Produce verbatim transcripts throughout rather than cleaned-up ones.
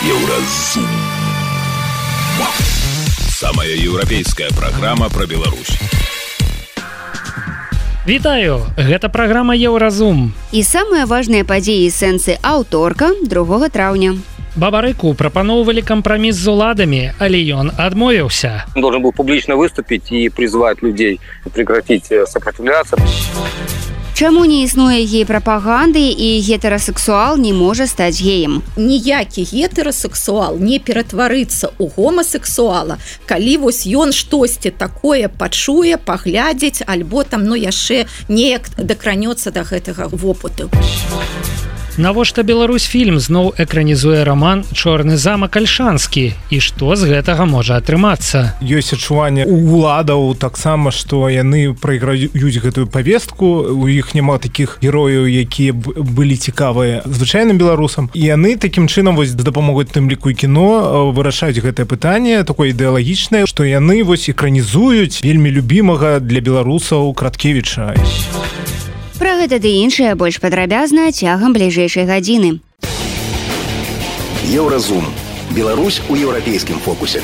Еўразум. Самая еўрапейская праграма пра Беларусь. Вітаю! Гэта праграма Еўразум. І самыя важныя падзеі сэнсы аўторка другога траўня. Бабарыку прапаноўвалі кампраміс з уладамі, але ён адмовіўся. Он должен был публично выступить и призвать людей прекратить сопротивляться. Чаму не існуе гей-прапаганды і гетэрасексуал не можа стаць геем? Ніякі гетэрасексуал не ператварыцца ў гомасексуала, калі вось ён штосьці такое пачуе, паглядзець, альбо там, ну, яшчэ неяк дакранецца да гэтага вопыту. Навошта Беларусь-фільм зноў экранізуе раман «Чорны замак Альшанскі» і што з гэтага можа атрымацца? Ёсць адчуванне у уладаў таксама, што яны прайграюць гэтую павестку, у іх няма такіх герояў, якія былі цікавыя звычайным беларусам, і яны такім чынам вось з дапамогай тым ліку і кіно вырашаюць гэтае пытанне такое ідэалагічнае, што яны вось экранізуюць вельмі любімага для беларусаў Краткевіча. Пра гэта ды іншае больш падрабязна цягам бліжэйшай гадзіны. Еўразум. Беларусь у еўрапейскім фокусе.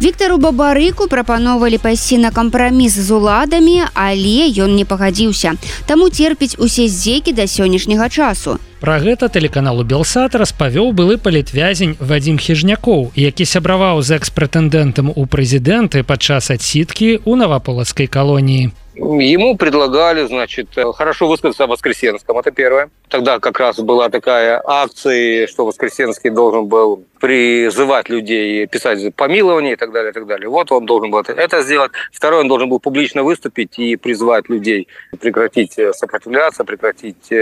Віктару Бабарыку прапаноўвалі пайсці на кампраміс з уладамі, але ён не пагадзіўся. Таму церпіць усе здзекі да сённяшняга часу. Пра гэта тэлеканалу «Белсат» распавёў былы палітвязень Вадзім Хіжнякоў, які сябраваў з экс-прэтэндэнтам у прэзідэнты падчас адсідкі ў Новополоцкай колонии. Ему предлагали, значит, хорошо высказаться о Воскресенском, это первое. Тогда как раз была такая акция, что Воскресенский должен был призывать людей писать помилование и так далее, и так далее. Вот он должен был это сделать. Второе, он должен был публично выступить и призвать людей прекратить сопротивляться, прекратить,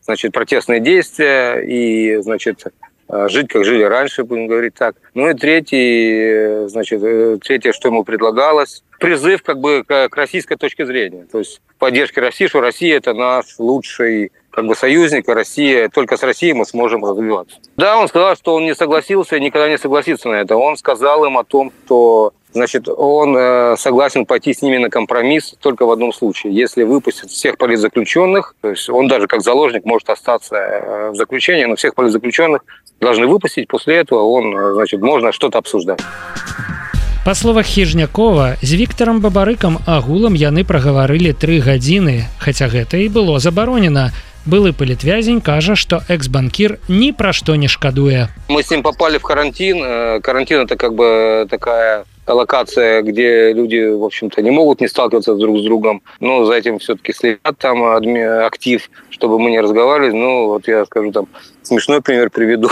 значит, протестные действия и, значит, жить, как жили раньше, будем говорить так. Ну и третий, значит, третье, что ему предлагалось, призыв как бы к российской точке зрения. То есть поддержки России, что Россия – это наш лучший как бы союзник, а Россия, только с Россией мы сможем развиваться. Да, он сказал, что он не согласился и никогда не согласится на это. Он сказал им о том, что, значит, он э, согласен пойти с ними на компромисс только в одном случае. Если выпустят всех политзаключенных, то есть он даже как заложник может остаться э, в заключении, но всех политзаключенных должны выпустить. После этого он, значит, можно что-то обсуждать. Па словах Хіжнякова, з Віктарам Бабарыкам агулам яны прагаварылі тры гадзіны, хаця гэта і было забаронена. Былы палітвязень кажа, што экс-банкір ні пра што не шкадуе. Мы с ним попали в карантин. Карантин – это как бы такая локация, где люди, в общем-то, не могут не сталкиваться друг с другом. Но за этим все-таки следят там актив, чтобы мы не разговаривали. Ну, вот я скажу там, смешной пример приведу.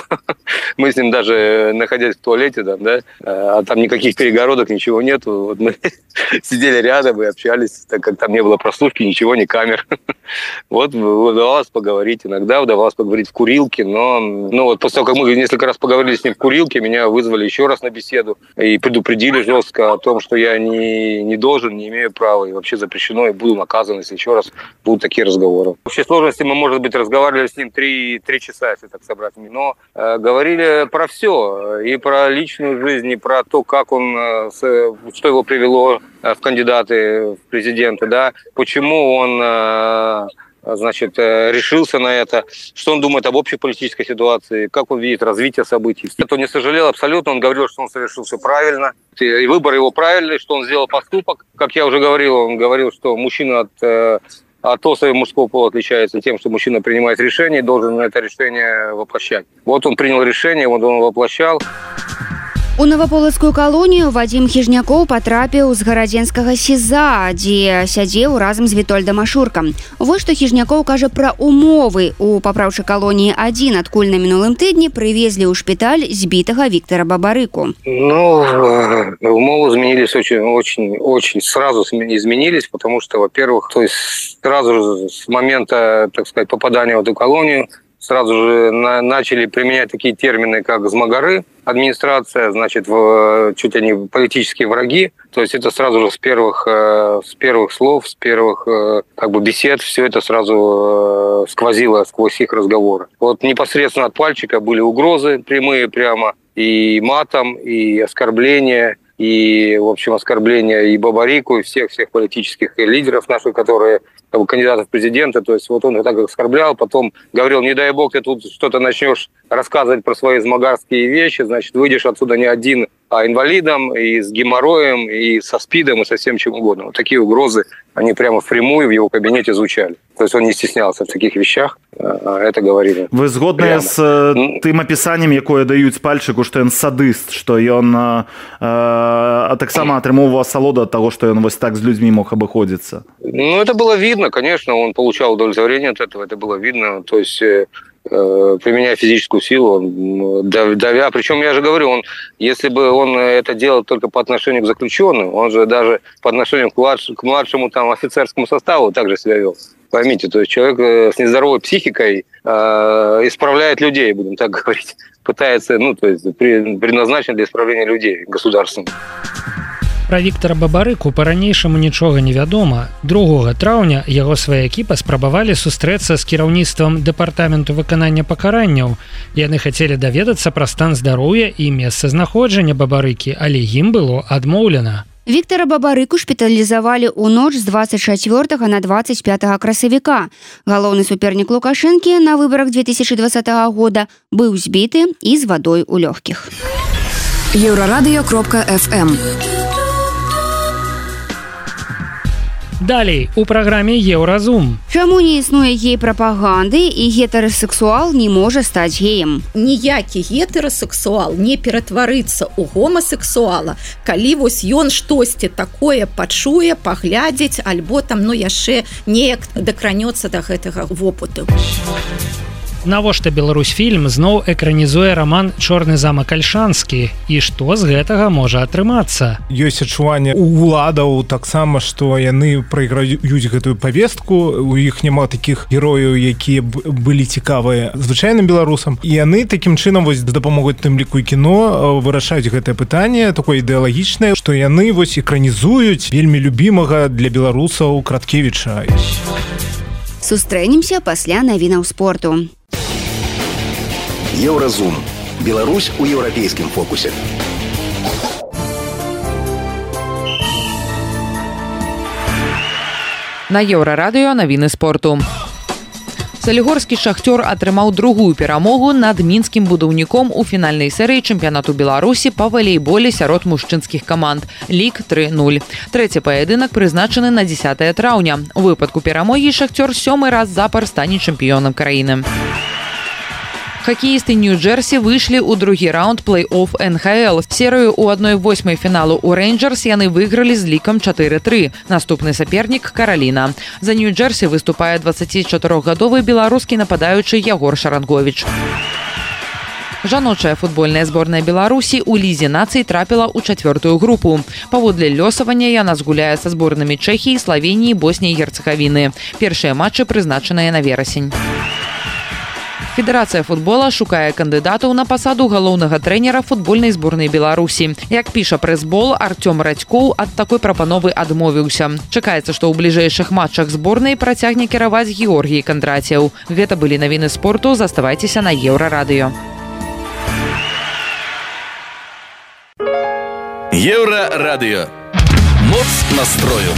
Мы с ним даже, находясь в туалете, там, да, а там никаких перегородок, ничего нету. Вот мы сидели рядом и общались, так как там не было прослушки, ничего, ни камер. Вот удавалось поговорить. Иногда удавалось поговорить в курилке, но ну, вот после того, как мы несколько раз поговорили с ним в курилке, меня вызвали еще раз на беседу и предупредили жестко о том, что я не, не должен, не имею права и вообще запрещено, и буду наказан, если еще раз будут такие разговоры. В общей сложности мы, может быть, разговаривали с ним три, три часа, если так собрать, но э, говорили про все, и про личную жизнь, и про то, как он, э, с, что его привело э, в кандидаты в президенты, да, почему он, э, значит, э, решился на это, что он думает об общей политической ситуации, как он видит развитие событий. Это он не сожалел абсолютно, он говорил, что он совершил все правильно, и выбор его правильный, что он сделал поступок. Как я уже говорил, он говорил, что мужчина от... Э, от особи мужского пола отличается тем, что мужчина принимает решение и должен это решение воплощать. Вот он принял решение, вот он воплощал. У Новополоцкую калонію Вадзім Хіжнякоў патрапіў з гарадзенскага СІЗА, дзе сядзеў разам з Вітольдам Ашуркам. Вось што Хіжнякоў кажа пра умовы. У папраўчай калоніі адзін, адкуль на мінулым тыдні прывезлі ў шпіталь збітага Віктара Бабарыку. Ну, умовы изменились очень, очень, очень сразу изменились, потому что, во-первых, то есть сразу же с момента, так сказать, попадания в эту колонию сразу же на, начали применять такие термины, как «змагары», администрация, значит, в, чуть они политические враги. То есть это сразу же с первых, э, с первых слов, с первых э, как бы бесед все это сразу э, сквозило сквозь их разговоры. Вот непосредственно от Пальчика были угрозы прямые прямо, и матом, и оскорбления, и, в общем, оскорбления и Бабарику, и всех-всех политических лидеров наших, которые как бы, кандидатов в президенты. То есть вот он их так оскорблял, потом говорил, не дай бог, ты тут что-то начнешь рассказывать про свои змагарские вещи, значит, выйдешь отсюда не один, а инвалидом, и с геморроем, и со СПИДом, и со всем чем угодно. Вот такие угрозы, они прямо впрямую в его кабинете звучали. То есть он не стеснялся в таких вещах, это говорили. Вы згодныя з тым апісаннем, якое даюць пальчыку, што ён садыст, што ён э, э, таксама атрымоўваў асалоду ад таго, што ён вось так з людзьмі мог абыходзіцца? Ну, это было видно, конечно, он получал удовлетворение от этого, это было видно, то есть... применяя физическую силу, давя. Причем я же говорю, он, если бы он это делал только по отношению к заключенным, он же даже по отношению к, младш, к младшему там, офицерскому составу также себя вел. Поймите, то есть человек с нездоровой психикой э, исправляет людей, будем так говорить, пытается, ну, то есть предназначен для исправления людей государством. Пра Віктара Бабарыку па-ранейшаму нічога не вядома. другога траўня яго сваякі паспрабавалі сустрэцца з кіраўніцтвам дэпартаменту выканання пакаранняў. Яны хацелі даведацца пра стан здароўя і месцазнаходжання Бабарыкі, але ім было адмоўлена. Віктара Бабарыку шпіталізавалі ў ноч з двадцать чацвёртага на двадцать пятага красавіка. Галоўны супернік Лукашэнкі на выбарах две тысячи двадцатого года быў збіты і з вадой у лёгкіх. еўрарадыё кропка эф эм. Далей у праграме Еўразум. Чаму не існуе гей-прапаганды і гетэрасексуал не можа стаць геем? Ніякі гетэрасексуал не ператварыцца ў гомасексуала, калі вось ён штосьці такое пачуе, паглядзець, альбо там, ну, яшчэ неяк дакранецца да гэтага вопыту. Навошта Беларусьфільм зноў экранізуе раман «Чорны замак Альшанскі» і што з гэтага можа атрымацца? Ёсць адчуванне у уладаў таксама, што яны прайграюць гэтую павестку, у іх няма такіх герояў, якія былі цікавыя звычайным беларусам, і яны такім чынам вось дапамогуць тым ліку і кіно вырашаюць гэтае пытанне такое ідэалагічнае, што яны вось экранізуюць вельмі любімага для беларусаў Краткевіча. Сустрэнемся пасля навінаў спорту. Еўразум. Беларусь у еўрапейскім фокусе. На еўрарадыё навіны спорту. Салігорскі шахцёр атрымаў другую перамогу над мінскім будаўніком у фінальнай серыі чэмпіянату Беларусі па валейболе сярод мужчынскіх каманд. Лік тры нуль. Трэці паядынак прызначаны на дзесятае траўня. У выпадку перамогі шахцёр сёмы раз запар стане чэмпіёнам краіны. Хакеісты Нью-Джерсі выйшлі ў другі раунд плэй-офф эн ха эл. Серыю ў адной восьмай фіналу ў Рэйнджэрс яны выйгралі з лікам чатыры тры. Наступны сапернік Караліна. За Нью-Джерсі выступае дваццацічатырохгадовы беларускі нападаючы Ягор Шаранговіч. Жаночая футбольная зборная Беларусі ў лізе нацый трапіла ў чацвёртую групу. Паводле лёсавання яна згуляе са зборнымі Чэхіі, Славеніі, Босніі і Герцагавіны. Першыя матчы прызначаныя на верасень. Федэрацыя футбола шукае кандыдатаў на пасаду галоўнага трэнера футбольнай зборнай Беларусі. Як піша прэс-бол, Артём Радзькоў ад такой прапановы адмовіўся. Чакаецца, што ў бліжэйшых матчах зборнай працягне кіраваць Георгій Кандрацеў. Гэта былі навіны спорту, заставайцеся на Еўрарадыё. Еўрарадыё. Моц настрою.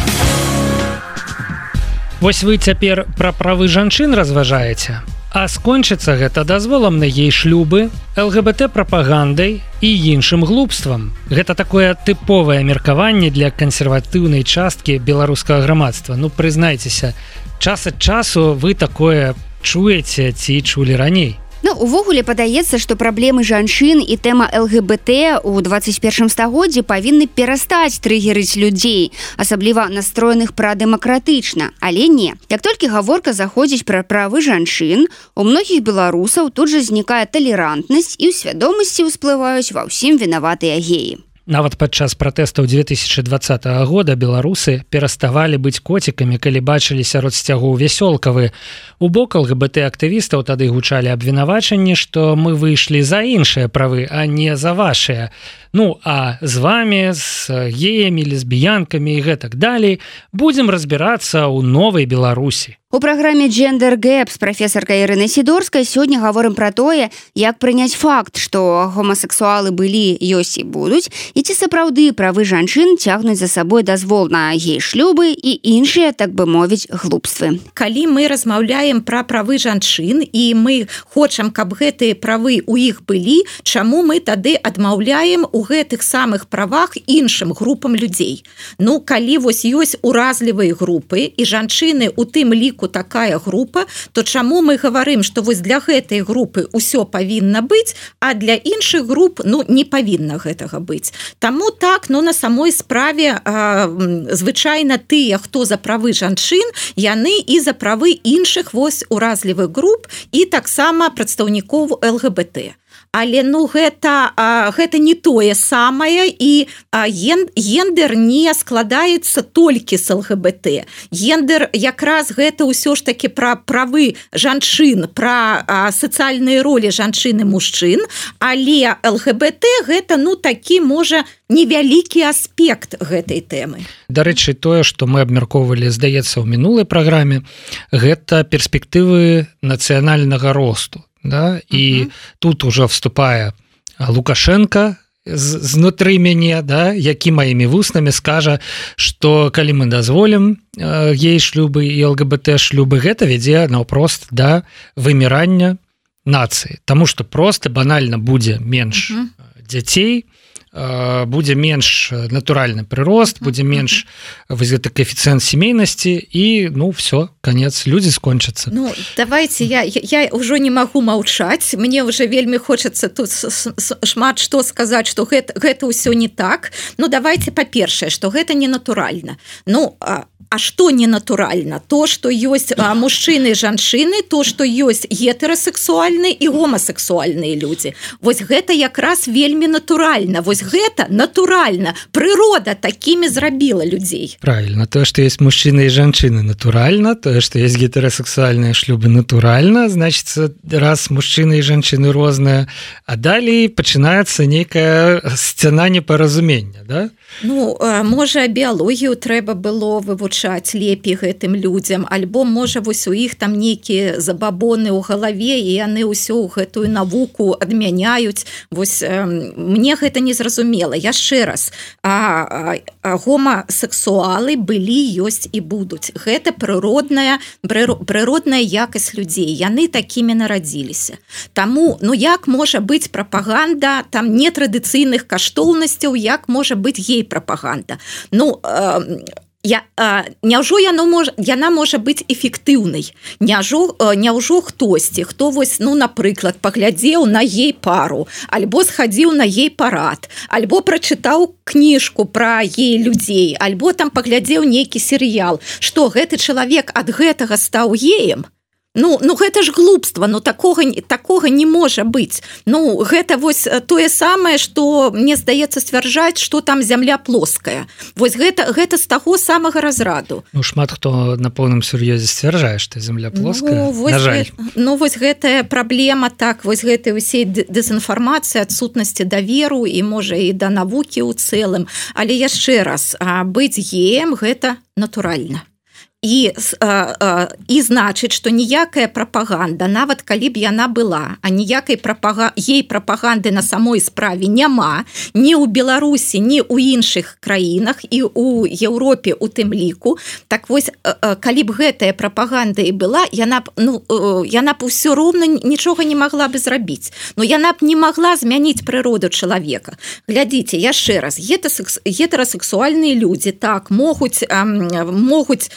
Вось вы цяпер пра правы жанчын разважаеце. А скончыцца гэта дазволам на гей-шлюбы, эл гэ бэ тэ-прапагандай і іншым глупствам. Гэта такое тыповае меркаванне для кансерватыўнай часткі беларускага грамадства. Ну, прызнайцеся, час ад часу вы такое чуеце ці чулі раней. Ну, увогуле падаецца, што праблемы жанчын і тэма эл гэ бэ тэ ў двадцать першым стагоддзі павінны перастаць трыгерыць людзей, асабліва настроеных прадэмакратычна. Але не. Як толькі гаворка заходзіць пра правы жанчын, у многіх беларусаў тут жа знікае талерантнасць і ў свядомасці ўсплываюць ва ўсім вінаватыя геі. Нават падчас пратэстаў две тысячи двадцатого года беларусы пераставалі быць коцікамі, калі бачылі сярод сцягоў вясёлкавы. У бок эл гэ бэ тэ-актывістаў тады гучалі абвінавачанні, што мы выйшлі за іншыя правы, а не за вашыя. Ну, а з вами, з геямі, лесбіянкамі і гэтак далей будзем разбірацца ў новай Беларусі. У праграме Gender Gap з прафесаркай Ірынай Сідорскай сёння гаворым пра тое, як прыняць факт, што гомасексуалы былі, ёсць і будуць, і ці сапраўды правы жанчын цягнуць за сабой дазвол на гей-шлюбы і іншыя, так бы мовіць, глупствы. Калі мы размаўляем пра правы жанчын і мы хочам, каб гэтыя правы ў іх былі, чаму мы тады адмаўляем у гэтых самых правах іншым групам людзей? Ну, калі вось ёсць уразлівыя групы і жанчыны у тым ліку такая група, то чаму мы гаварым, што вось для гэтай групы ўсё павінна быць, а для іншых груп, ну, не павінна гэтага быць. Таму так, ну, на самой справе а, звычайна тыя, хто за правы жанчын, яны і за правы іншых вось уразлівых груп і таксама прадстаўнікоў эл гэ бэ тэ. Але ну гэта, а, гэта не тое самае, і а, ген, гендер не складаецца толькі з эл гэ бэ тэ. Гендер якраз гэта ўсё ж такі пра правы жанчын, пра а, сацыяльныя ролі жанчын і мужчын, але эл гэ бэ тэ гэта ну такі, можа, невялікі аспект гэтай тэмы. Дарэчы, тое, што мы абмяркоўвалі, здаецца, ў минулай праграме, гэта перспектывы нацыянальнага росту. Да? І uh-huh. тут уже вступае Лукашенко знутры мяне, да? Які маімі вуснамі скажа, што калі мы дазволім э, гей-шлюбы і эл гэ бэ тэ-шлюбы, гэта вядзе наўпрост да вымірання нацыі. Таму што проста банальна будзе менш uh-huh. дзяцей, будзе менш натуральны прырост, будзе менш вось гэты коэфіцыент сямейнасці і ну все, конец, людзі скончацца. Ну давайте я я ўжо не магу маўчаць, мне уже вельмі хочацца тут шмат што сказаць, што гэта гэта ўсё не так. Ну давайте па-першае, што гэта не натуральна. Ну а А што ненатуральна? То, што ёсць а, мужчыны і жанчыны, то, што ёсць гетэрасексуальныя і гомасексуальныя людзі. Вось гэта якраз вельмі натуральна. Вось гэта натуральна. Прырода такімі зрабіла людзей. Правильно. Тое, што ёсць мужчыны і жанчыны, натуральна. Тое, што ёсць гетэрасексуальныя шлюбы, натуральна. Значыцца, раз мужчыны і жанчыны розныя, а далей пачынаецца нейкая сцяна непаразумення, да? Ну, можа, біялогію трэба было вывучаць лепей гэтым людзям, альбо, можа, вось у іх там нейкія забабоны ў галаве, і яны ўсё гэтую навуку адмяняюць. Вось э, мне гэта не зразумела. Яшчэ раз, а, а, гомасексуалы былі, ёсць і будуць. Гэта прыродная, прыродная якасць людзей. Яны такімі нарадзіліся. Таму, ну як можа быць прапаганда там нетрадыцыйных каштоўнасцяў, як можа быць гей-прапаганда? Ну, э, Я, а, няўжо яно мож, яна можа быць эфектыўнай? Няўжо, няўжо хтосьці, хто вось, ну, напрыклад, паглядзеў на гей-пару, альбо схадзіў на гей-парад, альбо прачытаў кніжку пра гей-людзей, альбо там паглядзеў нейкі серыял, што гэты чалавек ад гэтага стаў геем? Ну, ну гэта ж глупства, ну такога, такога не можа быць. Ну гэта вось тое самае, што мне здаецца сцвярджаць, што там зямля плоская. Вось гэта, гэта з таго самага разраду. Ну шмат хто на поўным сур'ёзе сцвярджае, што зямля плоская, ну, на жаль. Гэ... Ну вось гэтая праблема, так, вось гэтай усей дэзінфармацыі, адсутнасці даверу і можа і да навукі ў цэлым. Але яшчэ раз, быць геем гэта натуральна. І, а, а, і значыць, што ніякая прапаганда, нават калі б яна была, а ніякай прапага... ей прапаганды на самой справе няма, ні ў Беларусі, ні ў іншых краінах, і ў Еўропе у тым ліку. Так вось, а, калі б гэтая прапаганда і была, яна б, ну, яна б усё роўна нічога не магла бы зрабіць. Ну, яна б не магла змяніць прыроду чалавека. Глядзіце, яшчэ раз, гетэрасексуальныя людзі, так, могуць, а, могуць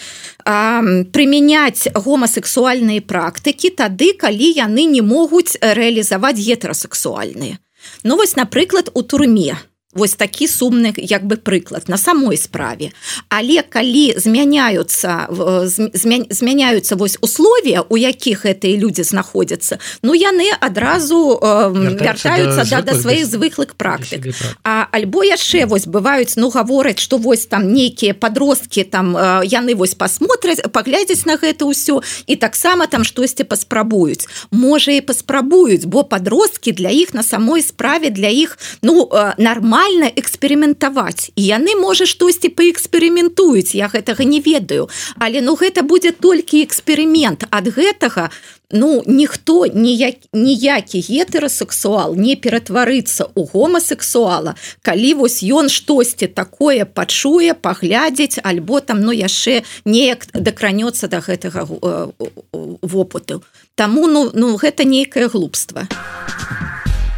прымяняць гомасексуальныя практыкі тады, калі яны не могуць рэалізаваць гетэрасексуальныя. Ну вось, напрыклад, у турме. Вось такі сумны, як бы, прыклад на самой справе. Але калі змяняюцца, змя, змяняюцца вось условия, у якіх гэтыя людзі знаходзяцца, ну яны адразу э, вяртаюцца да, да, да сваіх звыклых практык. А, альбо яшчэ вось бываюць, ну гавораць, што вось там нейкія подросткі, там э, яны вось пасмотраць, паглядзяць на гэта ўсё, і таксама там штосьці паспрабуюць. Можа і паспрабуюць, бо подросткі для іх на самой справе, для іх, ну, э, нармальна нармальна эксперыментаваць і яны можа штосьці паэксперыментуюць, я гэтага не ведаю, але ну гэта будзе толькі эксперымент. Ад гэтага ну ніхто ніяк, ніякі гетэрасексуал не ператварыцца ў гомасексуала, калі вось ён штосьці такое пачуе, паглядзець альбо там ну яшчэ неяк дакранецца да гэтага вопыту. Таму ну, ну гэта нейкае глупства.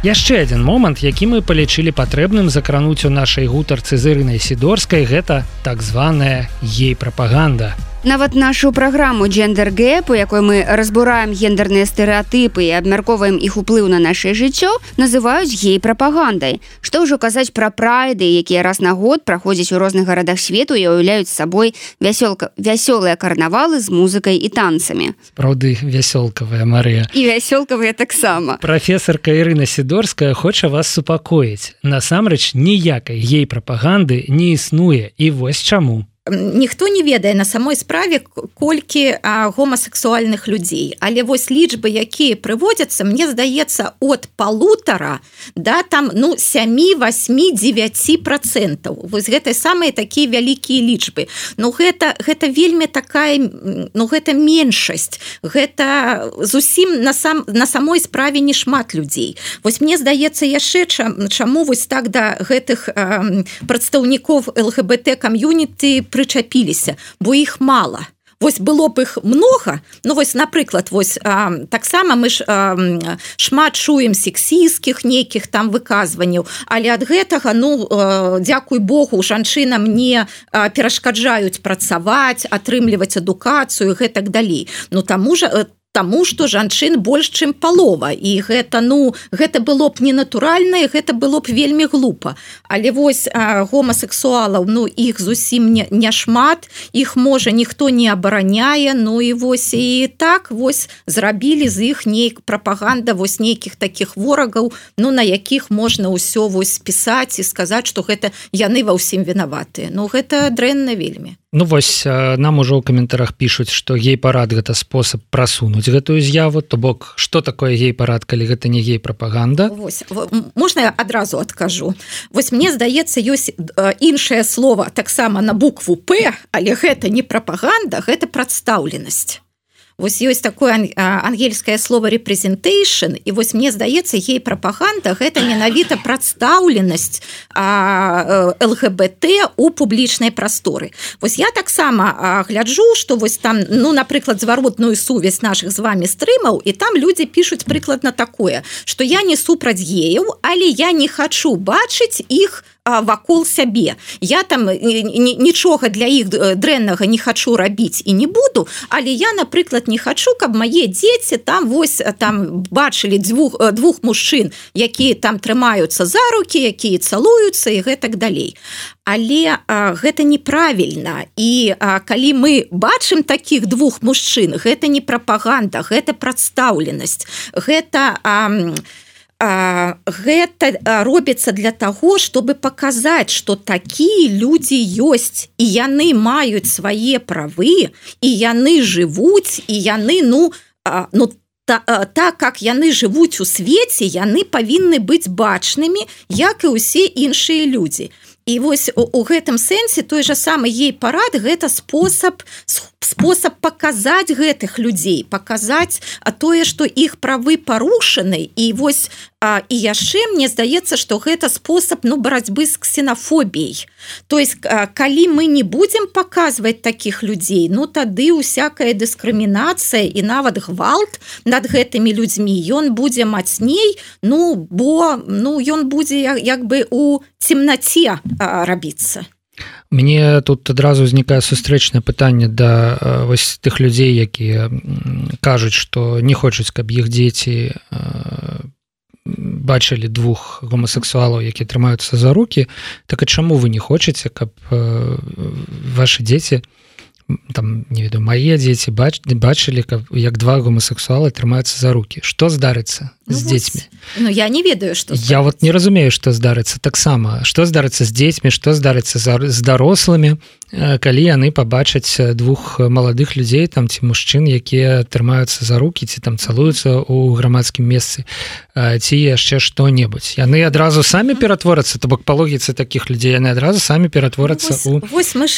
Яшчэ адзін момант, які мы палічылі патрэбным закрануць у нашай гутарцы з Ірынай Сідорскай, гэта так званая гей-прапаганда. Нават нашу праграму «Джендер Гэп», у якой мы разбураем гендерныя стэрэатыпы і абмяркоўваем іх уплыў на нашае жыццё, называюць гей-прапагандай. Што ўжо казаць пра прайды, якія раз на год праходзяць у розных гарадах свету і уяўляюць сабой вясёлка, вясёлыя карнавалы з музыкай і танцамі. Праўды, вясёлкавая, Марыя. І вясёлкавыя таксама. Прафесарка Ірына Сідорская хоча вас супакоіць. Насамрэч, ніякай гей-прапаганды не існуе, і вось чаму. Ніхто не ведае на самой справе колькі а, гомасексуальных людзей, але вось лічбы, якія прыводзяцца, мне здаецца от полутора да там ну сем, восемь, девять процентов. Вось гэтай самыя такія вялікія лічбы. Ну гэта гэта вельмі такая, ну гэта меншасць. Гэта зусім на сам на самой справе не шмат людзей. Вось мне здаецца яшчэ чаму вось так да гэтых а, прадстаўнікоў эл гэ бэ тэ камьюніті прычапіліся, бо іх мала. Вось было б іх много, ну вось, напрыклад, вось а, таксама мы ж а, шмат чуем сексістскіх нейкіх там выказванняў, але ад гэтага, ну, а, дзякуй Богу, жанчынам не а, перашкаджаюць працаваць, атрымліваць адукацыю, гэтак далей. Ну, таму ж Таму што жанчын больш, чым палова. І гэта, ну, гэта было б ненатуральна, і гэта было б вельмі глупа. Але вось а, гомасексуалаў, ну, іх зусім не, не шмат, іх, можа, ніхто не абараняе, ну, і вось і так вось зрабілі з іх нейк прапаганда вось нейкіх такіх ворагаў, ну, на якіх можна ўсё вось пісаць і сказаць, што гэта яны ва ўсім вінаватыя. Ну, гэта дрэнна вельмі. Ну вось нам ужо ў каментарах пішуць, што гей-парад гэта спосаб прасунуць гэтую з'яву, то бок што такое гей-парад, калі гэта не гей-прапаганда? Вось, можна я адразу адкажу. Вось мне здаецца, ёсць іншае слово таксама на букву П, але гэта не прапаганда, гэта прадстаўленасць. Вось ёсць такое ангельскае слово representation, і вось мне здаецца, гей-прапаганда гэта менавіта прадстаўленасць эл гэ бэ тэ у публічнай прасторы. Вось я таксама гляджу, што вось там, ну, напрыклад, зваротную сувязь нашых з вами стрымаў, і там людзі пішуць прыкладна такое, што я не супраць геяў, але я не хачу бачыць іх вакол сябе. Я там нічога для іх дрэннага не хачу рабіць і не буду, але я, напрыклад, не хачу, каб мае дзеці там вось там бачылі двух, двух мужчын, якія там трымаюцца за рукі, якія цалуюцца і гэтак далей. Але а, гэта неправільна. І а, калі мы бачым такіх двух мужчын, гэта не прапаганда, гэта прадстаўленасць. Гэта а, А, гэта робіцца для таго, чтобы паказаць, што такія людзі ёсць, і яны маюць свае правы, і яны жывуць, і яны, ну, а, ну та, а, так, как яны жывуць у свеце, яны павінны быць бачнымі, як і ўсе іншыя людзі. І вось у, у гэтым сэнсе той жа самы гей-парад гэта спосаб спосаб паказаць гэтых людзей, паказаць тое, што іх правы парушаны, і вось а, і яшчэ мне здаецца, што гэта спосаб, ну, барацьбы з ксенафобіяй. То есть, а, калі мы не будзем паказваць такіх людзей, ну тады усякая дыскрымінацыя і нават гвалт над гэтымі людзьмі, ён будзе мацней, ну бо ну ён будзе як, як бы у цемнаце а, рабіцца. Мне тут адразу ўзнікае сустрэчнае пытанне да э, вось тых людзей, якія кажуць, што не хочуць, каб іх дзеці э, бачылі двух гомасексуалаў, якія трымаюцца за рукі. Так а чаму вы не хочаце, каб э, вашы дзеці, там, не ведаю, мае дзеці бач, бачылі, каб, як два гомасексуалы трымаюцца за рукі? Што здарыцца ну, з дзецьмі? Ну, я не ведаю, што здарыцца. Я вот не разумею, што здарыцца таксама. Што здарыцца з дзецьмі, што здарыцца з дарослымі? калі яны пабачаць двух маладых людзей там ці мужчын, якія трымаюцца за рукі ці там цалуюцца ў грамадскім месцы ці яшчэ што-небудзь. Яны адразу самі ператворацца, то бок па логіцы такіх людзей яны адразу самі ператворацца ў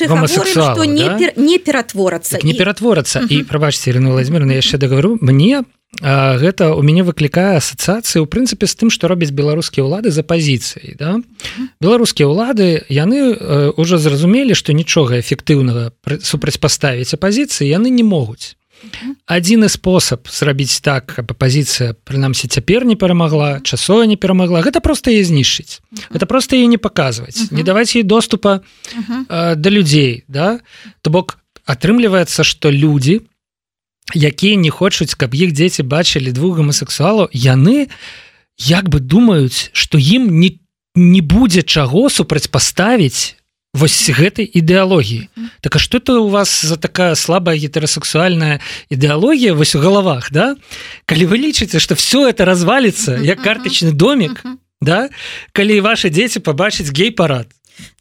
гомасексуалаў, да? не, пер, не ператворацца так, не ператворацца і, і прабачце, Ірына Владзіміровна, я яшчэ дагавару, мне А гэта у мяне выклікае асацыяцыі ў прынцыпе з тым, што робяць беларускія ўлады з апазіцыяй. Да? Беларускія ўлады яны ўжо зразумелі, што нічога эфектыўнага супрацьпаставіць апазіцыі яны не могуць. Адзіны спосаб зрабіць так, каб апазіцыя прынамсі цяпер не перамагла, часова не перамагла, гэта проста яе знішчыць. Гэта проста яе не паказваць, не даваць ёй доступа э, да людзей. Да? То бок атрымліваецца, што людзі, якія не хочуць, каб іх дзеці бачылі двух гомасексуалаў, яны як бы думаюць, што ім не, не будзе чаго супрацьпаставіць вось гэтай ідэалогіі. Так а што это у вас за такая слабая гетерасексуальная ідэалогія вось у галавах, да? Калі вы лічыце, што все это развалится, як картачны домик, да? Калі ваши дзеці пабачаць гей-парад,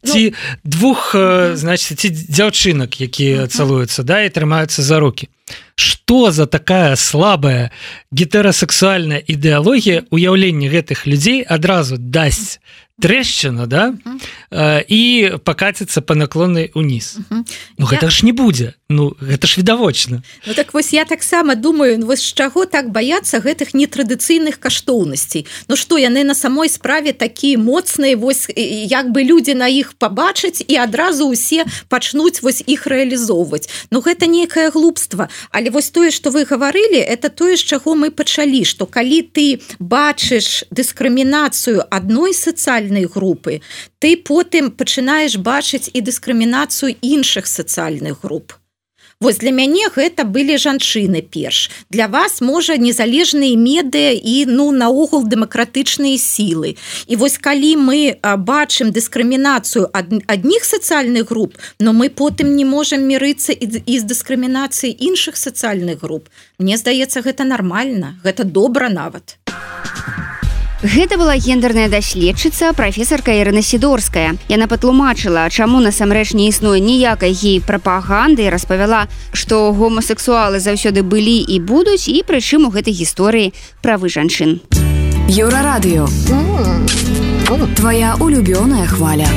ці двух, значит, ці дзяўчынак, якія цалуюцца, да, і трымаюцца за рукі. Што за такая слабая гетерасексуальная ідэалогія уяўлення гэтых людзей адразу дасць трэшчына, да, uh-huh. і пакаціцца па наклоннай уніз. Uh-huh. Ну гэта я... ж не будзе. Ну гэта ж відавочна. Ну так вось я таксама думаю, вось з чаго так баяцца гэтых нетрадыцыйных каштоўнасцей. Ну што, яны на самой справе такія моцныя, вось як бы людзі на іх пабачаць і адразу ўсе пачнуць вось іх рэалізоўваць. Ну гэта нейкае глупства. Але вось тое, што вы гаварылі, это тое, з чаго мы пачалі, што калі ты бачыш дыскрымінацыю адной сацыяльнай групы, ты потым пачынаеш бачыць і дыскрымінацыю іншых сацыяльных груп. Вось для мяне гэта былі жанчыны перш. Для вас, можа, незалежныя медыа і, ну, наогул дэмакратычныя сілы. І вось калі мы бачым дыскрымінацыю ад адних сацыяльных груп, но мы потым не можам мірыцца і, і з дыскрымінацыяй іншых сацыяльных груп. Мне здаецца, гэта нармальна, гэта добра нават. Гэта была гендерная даследчыца, прафесарка Ірына Сідорская. Яна патлумачыла, чаму насамрэч не існуе ніякай гей-прапаганды і распавяла, што гомасексуалы заўсёды былі і будуць, і прычым у гэтай гісторыі правы жанчын. Еўрарадыё. Твая улюбёная хваля.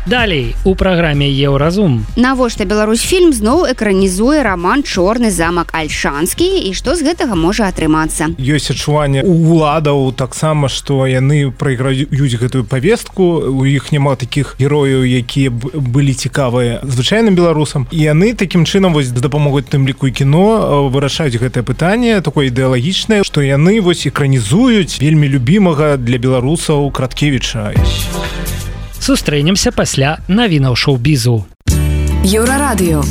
Далей у праграме Еўразум. Навошта Беларусьфільм зноў экранізуе раман «Чорны замак Альшанскі» і што з гэтага можа атрымацца? Ёсць адчуванне у уладаў таксама, што яны прайграюць гэтую павестку, у іх няма такіх герояў, якія былі цікавыя звычайным беларусам, і яны такім чынам вось дапамогуць тым ліку і кіно вырашаюць гэтае пытанне такое ідэалагічнае, што яны вось экранізуюць вельмі любімага для беларусаў Краткевіча. Сустрэнемся пасля навінаў шоу-бізу. Еўрарадыё.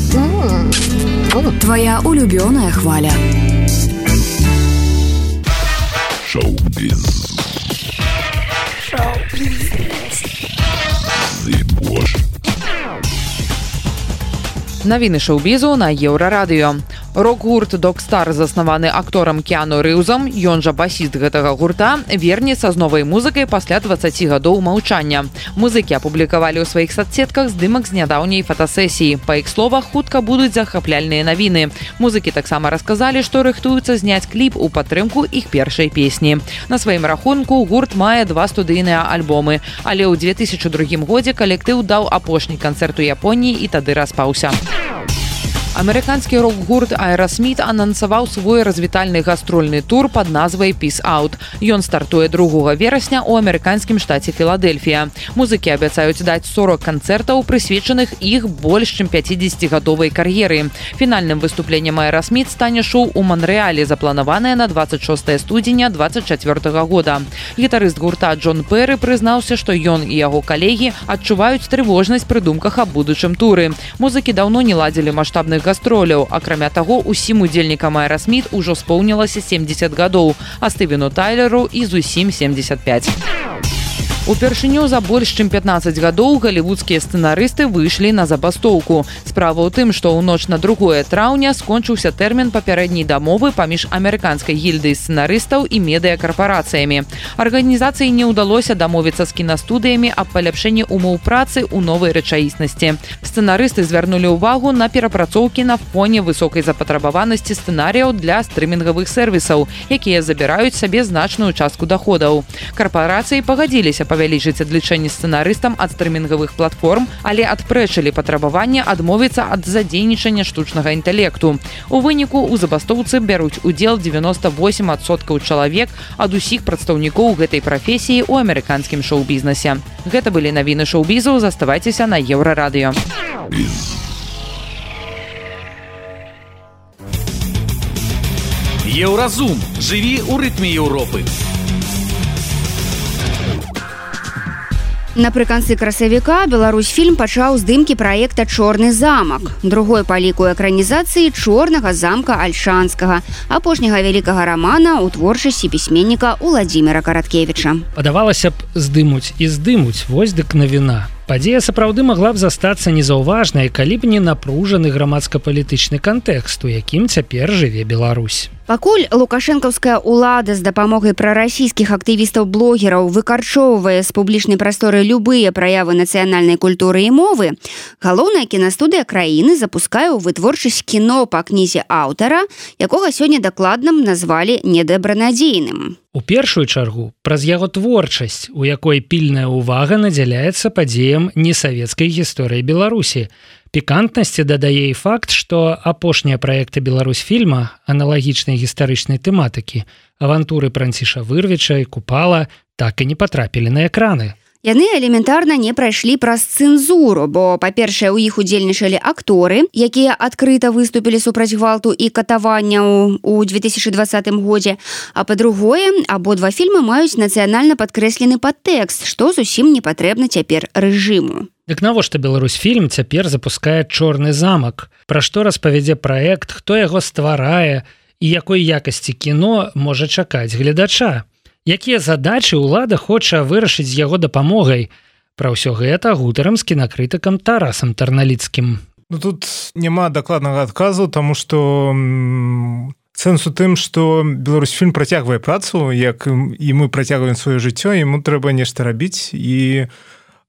Твая улюбёная хваля. Шоу-біз. Шоу-біз. Навіны шоу-бізу на Еўрарадыё. Рок-гурт «Док-Стар», заснаваны акторам Кіану Рыўзам, ён жа басіст гэтага гурта, вернецца з новай музыкай пасля дваццаці гадоў маўчання. Музыкі апублікавалі ў сваіх садсетках здымак з нядаўняй фотасесіі. Па іх словах, хутка будуць захапляльныя навіны. Музыкі таксама расказалі, што рыхтуюцца зняць кліп у падтрымку іх першай песні. На сваім рахунку гурт мае два студыйныя альбомы, але ў две тысячы другім годзе калектыў даў апошні канцэрт у Японіі і тады распаўся. Амерыканскі рок-гурт Aerosmith анансаваў свой развітальны гастрольны тур пад назвай «Peace Out». Ён стартуе другога верасня ў амерыканскім штаце Філадельфія. Музыкі абяцаюць даць сорок канцэртаў, прысвечаных іх больш чым пяцідзесяцігадовай кар'еры. Фінальным выступленнем Aerosmith стане шоу ў Манрэале, запланаванае на дваццаць шостае студзеня дваццаць чацвёртага года. Гітарыст гурта Джон Перры прызнаўся, што ён і яго калегі адчуваюць трывожнасць пры думках аб будучым туры. Музыкі даўно не ладзілі маштабных гастроляў. Акрамя таго, усім удзельнікам Aerosmith ужо споўнілася семдзесят гадоў, а Стывену Тайлеру і зусім семдзесят пяць. Упершыню за больш чым пятнаццаць гадоў галівудскія сцэнарысты выйшлі на забастоўку. Справа ў тым, што ў ноч на другое траўня скончыўся тэрмін папярэдняй дамовы паміж амерыканскай гільдай сцэнарыстаў і медыякарпарацыямі. Арганізацыі не ўдалося дамовіцца з кінастудыямі аб паляпшэнні умоў працы ў новай рэчаіснасці. Сцэнарысты звярнулі ўвагу на перапрацоўкі на фоне высокай запатрабаванасці сцэнарыяў для стрымінгавых сервісаў, якія забіраюць сабе значную частку даходаў. Карпарацыі пагадзіліся павялічыць адлічэнні сцэнарыстам ад стрымінгавых платформ, але адпрэчылі патрабаванне адмовіцца ад задзейнічання штучнага інтэлекту. У выніку ў забастоўцы бяруць удзел дзевяноста восем адсоткаў чалавек ад усіх прадстаўнікоў гэтай прафесіі ў амерыканскім шоу-бізнесе. Гэта былі навіны шоу-бізу, заставайцеся на Еўрарадыё. Еўразум. Жыві ў рытме Еўропы. Напрыканцы красавіка Беларусьфільм пачаў здымкі праекта «Чорны замак», другой па ліку экранізацыі «Чорнага замка Альшанскага», апошняга вялікага рамана ў творчасці пісьменніка Уладзіміра Караткевіча. Падавалася б, здымуць і здымуць, вось дык навіна. Падзея сапраўды магла б застацца незаўважнай, калі б не напружаны грамадска-палітычны кантэкст, у якім цяпер жыве Беларусь. Пакуль лукашэнкаўская ўлада з дапамогай прарасійскіх актывістаў-блогераў выкарчоўвае з публічнай прасторы любыя праявы нацыянальнай культуры і мовы, галоўная кінастудыя краіны запускае ў вытворчасць кіно па кнізе аўтара, якога сёння дакладна назвалі недобранадзейным. У першую чаргу праз яго творчасць, у якой пільная ўвага надзяляецца падзеям несавецкай гісторыі Беларусі. Пікантнасці дадае і факт, што апошнія праекты Беларусьфільма аналагічнай гістарычнай тэматыкі, авантуры Франціша Вырвіча і Купала, так і не патрапілі на экраны. Яны элементарна не прайшлі праз цэнзуру, бо, па-першае, у іх удзельнічалі акторы, якія адкрыта выступілі супраць гвалту і катаванняў у две тысячы двадцатым годзе, а па-другое, абодва фільмы маюць нацыянальна падкрэслены падтэкст, што зусім не патрэбна цяпер рэжыму. Дык навошта Беларусьфільм цяпер запускае «Чорны замак»? Пра што распавядзе праект, хто яго стварае і якой якасці кіно можа чакаць гледача? Якія задачы ўлада хоча вырашыць з яго дапамогай? Пра ўсё гэта гутарам з кінакрытыкам Тарасам Тарналіцкім. Ну, тут няма дакладнага адказу, таму што сэнс у тым, што Беларусьфільм працягвае працу, як і мы працягваем сваё жыццё, яму трэба нешта рабіць. І...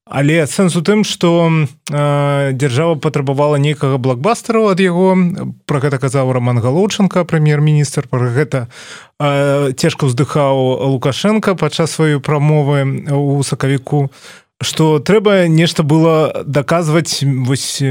Але сэнс у тым, што э, дзяржава патрабавала нейкага блокбастера ад яго, пра гэта казаў Роман Галоўченко, прэм'ер-міністр, пра гэта э, цяжка ўздыхаў Лукашенко падчас сваёй прамовы ў сакавіку, што трэба нешта было даказваць вось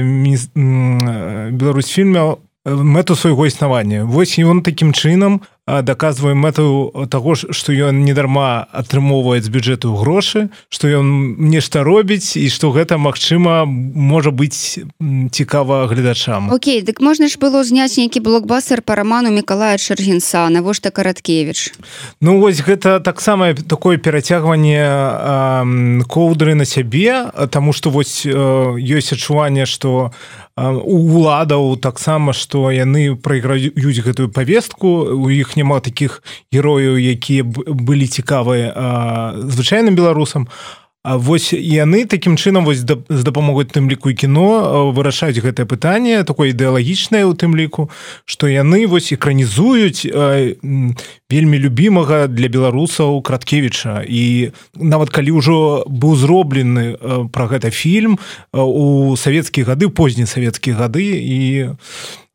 Беларусьфільме мэту свайго існавання. Вось ён такім чынам даказвае мэту таго, што ён недарма атрымоўвае з бюджэту грошы, што ён нешта робіць і што гэта, магчыма, можа быць цікава гледачам. Окей, дык можна ж было зняць нейкі блокбастер па раману Мікалая Чэргінца, навошта Караткевіч? Ну, вось гэта таксама такое перацягванне э, коўдры на сябе, таму што вось э, ёсць адчуванне, што у уладаў таксама, што яны прайграюць гэтую павестку, у іх няма такіх герояў, якія былі цікавыя звычайным беларусам. А вось яны такім чынам вось з дапамогай тым ліку і кіно вырашаюць гэтае пытанне, такое ідэалагічнае ў тым ліку, што яны вось экранізуюць вельмі любімага для беларусаў Краткевіча. І нават калі ўжо быў зроблены пра гэта фільм у савецкія гады, позні савецкія гады, і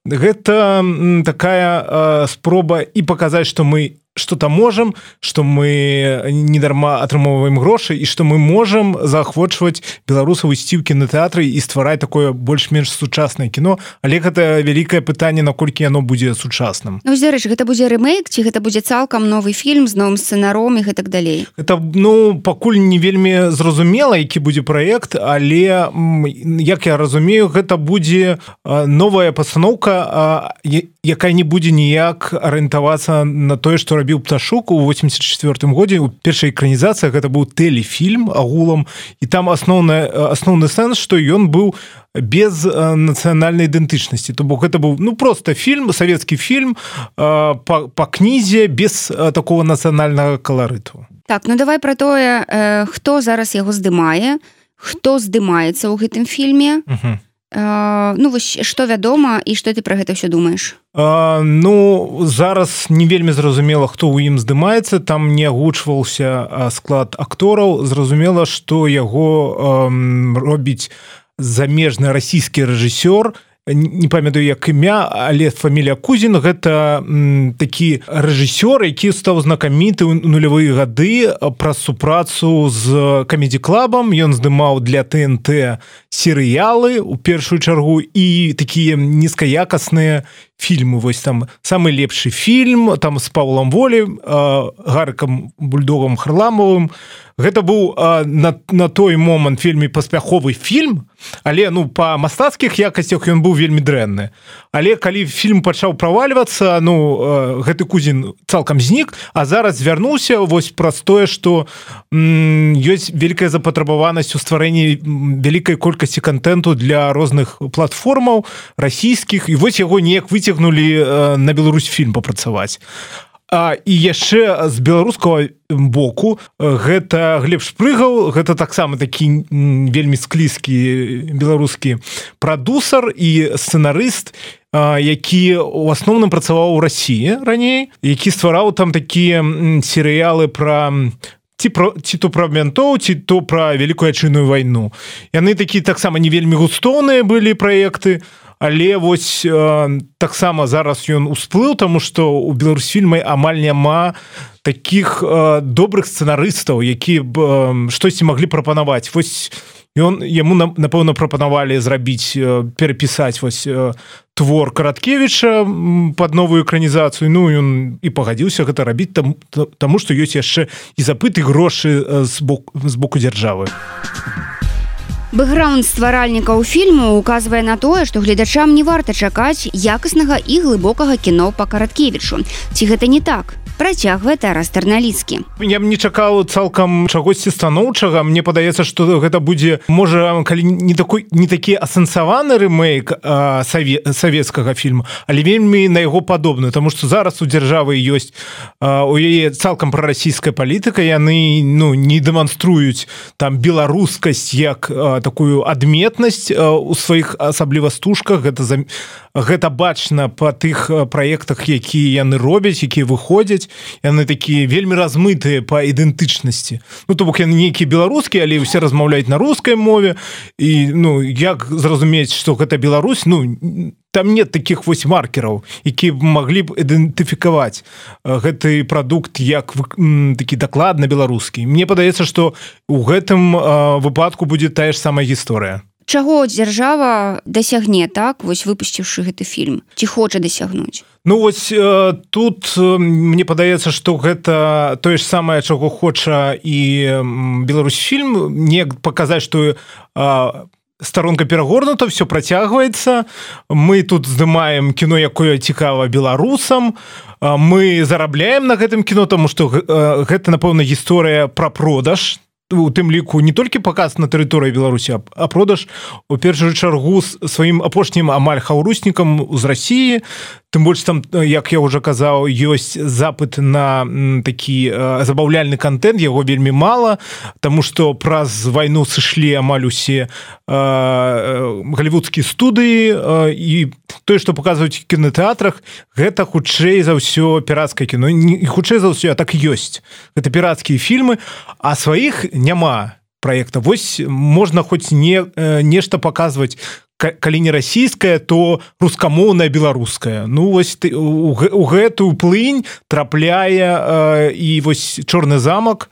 гэта такая спроба і паказаць, што мы что-то можем, что мы недарма атрымоўваем грошы і што мы можам заахвочваць беларусаў ісці ў кінотэатры і ствараць такое больш-менш сучаснае кіно, але гэта вялікае пытанне, наколькі яно будзе сучасным. Ну, дарэчы, гэта будзе рэмейк, ці гэта будзе цалкам новы фільм з новым сцэнаром і гэтак далей? Гэта, ну, пакуль не вельмі зразумела, які будзе праект, але, як я разумею, гэта будзе новая пастаноўка, якая не будзе ніяк арыентавацца на тое, што рабіў Пташук у восемьдесят четвёртым годзе. У першай экранізацыі гэта быў тэлефільм агулам, і там асноўны, асноўны сэнс, што ён быў без нацыянальнай ідэнтычнасці. То бок гэта быў, ну, просто фільм, савецкі фільм па, па кнізе без такого нацыянальнага каларыту. Так, ну давай пра тое, э, хто зараз яго здымае, хто здымаецца ў гэтым фільме. Угу. Э, ну вось што вядома і што ты пра гэта ўсё думаеш? А, ну зараз не вельмі зразумела, хто ў ім здымаецца, там не агучваўся склад актораў, зразумела, што яго эм, робіць замежны расійскі рэжысёр, не памятаю як імя, але фамілія Кузін. Гэта м, такі рэжысёр, які стаў знакаміты ў нулявыя гады праз супрацу з камедзі-клабам. Ён здымаў для тэ эн тэ серыялы у першую чаргу і такія нізкаякасныя фільмы. Вось там самы лепшы фільм там з Паўлам Волі, Гарыкам Бульдогам Харламовым. Гэта быў а, на, на той момант вельмі паспяховы фільм, але ну па мастацкіх якасцях ён быў вельмі дрэнны. Але калі фільм пачаў правальвацца, ну а, гэты Кузін цалкам знік, а зараз звярнуўся вось праз тое, што м, ёсць вялікая запатрабаванасць у стварэнні вялікай колькасці контенту для розных платформаў расійскіх, і вось яго неяк выцягнулі а, на Беларусь фільм папрацаваць. А, і яшчэ з беларускага боку гэта Глеб Шпрыгаў, гэта таксама такі вельмі склізкі беларускі прадусар і сцэнарыст, а, які ў асноўным працаваў у Расіі раней, які ствараў там такія серыялы пра ці, про, ці то пра ментоў, ці то пра вялікую адчынную вайну. Яны такі таксама не вельмі густоўныя былі праекты, але вось э, таксама зараз ён усплыў, таму што ў Беларусьфільме амаль няма такіх э, добрых сцэнарыстаў, які б э, штосьці маглі прапанаваць. Вось ён яму напэўна прапанавалі зрабіць э, перапісаць вось э, твор Караткевіча пад новую экранізацыю. Ну ён і пагадзіўся гэта рабіць, там, таму што ёсць яшчэ і запыты грошы э, з боку, з боку дзяржавы. Бэкграунд стваральнікаў фільму указвае на тое, што гледачам не варта чакаць якаснага і глыбокага кіно па Караткевічу. Ці гэта не так? Працягвае Тарас Тарналіцкі. Я б не чакаў цалкам чагосьці станоўчага. Мне падаецца, што гэта будзе, можа, калі не такой не такі асэнсаваны рэмейк а, саве, савецкага фільму, але вельмі на яго падобны, таму што зараз у дзяржавы ёсць а, у яе цалкам прарасійская палітыка, яны ну не дэманструюць там беларускасць як а, такую адметнасць а, у сваіх асабліва стужках. Гэта за гэта бачна па тых праектах, якія яны робяць, якія выходзяць. Яны такія вельмі размытыя па ідэнтычнасці. Ну то бок яны нейкія беларускія, але ўсе размаўляюць на рускай мове. І ну як зразумець, што гэта Беларусь? Ну там нет такіх вось маркераў, якія маглі б ідэнтыфікаваць гэты прадукт як такі дакладна беларускі. Мне падаецца, што ў гэтым выпадку будзе тая ж самая гісторыя. Чаго дзяржава дасягне, так, вось выпусціўшы гэты фільм? Ці хоча дасягнуць? Ну вось э, тут э, мне падаецца, што гэта тое ж самае, чаго хоча і э, Беларусьфільм, не паказаць, што э, старонка перагорнута, все працягваецца. Мы тут здымаем кіно, якое цікава беларусам. Э, мы зарабляем на гэтым кіно, таму што э, гэта, напэўна, гісторыя пра продаж. У тым ліку не толькі паказ на тэрыторыі Беларусі, а продаж у першую чаргу сваім апошнім амаль хаўруснікам з Расіі. Тым больш там, як я ўжо казаў, ёсць запыт на такі э, забаўляльны контент, яго вельмі мала, таму што праз вайну сышлі амаль усе э, галівудскія студыі, э, і тое, што паказваюць у кінотэатрах, гэта хутчэй за ўсё пірацкае кіно. Не хутчэй за ўсё, а так і ёсць. Гэта пірацкія фільмы, а сваіх няма праекта. Вось можна хоць не, э, нешта паказваць, калі не расійская, то рускамоўная беларуская. Ну вось ты, у, у гэтую плынь трапляе э, і вось Чорны замак,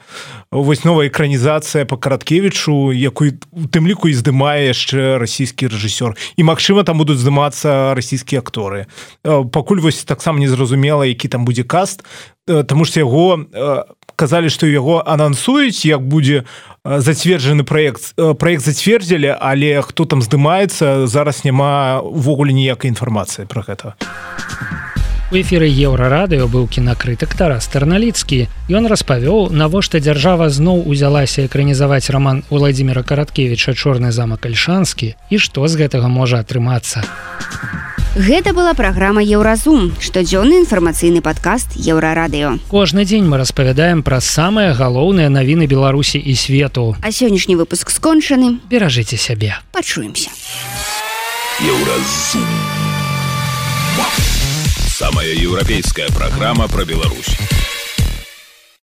вось новая экранізацыя па Караткевічу, якую у тым ліку і здымае яшчэ расійскі рэжысёр. І магчыма там будуць здымацца расійскія акторы. Э, пакуль вось таксама незразумела, які там будзе каст, э, таму што яго э, казалі, што яго анансуюць, як будзе зацверджаны праект. Праект зацвердзілі, але хто там здымаецца, зараз няма увогуле ніякай інфармацыі пра гэта. У эфіры Еўрарадыё быў кінакрытык Тарас Тарналіцкі. Ён распавёў, навошта дзяржава зноў узялася экранізаваць раман Уладзіміра Караткевіча «Чорны замак Альшанскі» і што з гэтага можа атрымацца. Гэта была праграма Еўразум, штодзённы інфармацыйны падкаст Еўрарадыё. Кожны дзень мы распавядаем пра самыя галоўныя навіны Беларусі і свету. А сённяшні выпуск скончаны. Беражыце сябе. Пачуемся. Еўразум. Самая европейская программа про Беларусь.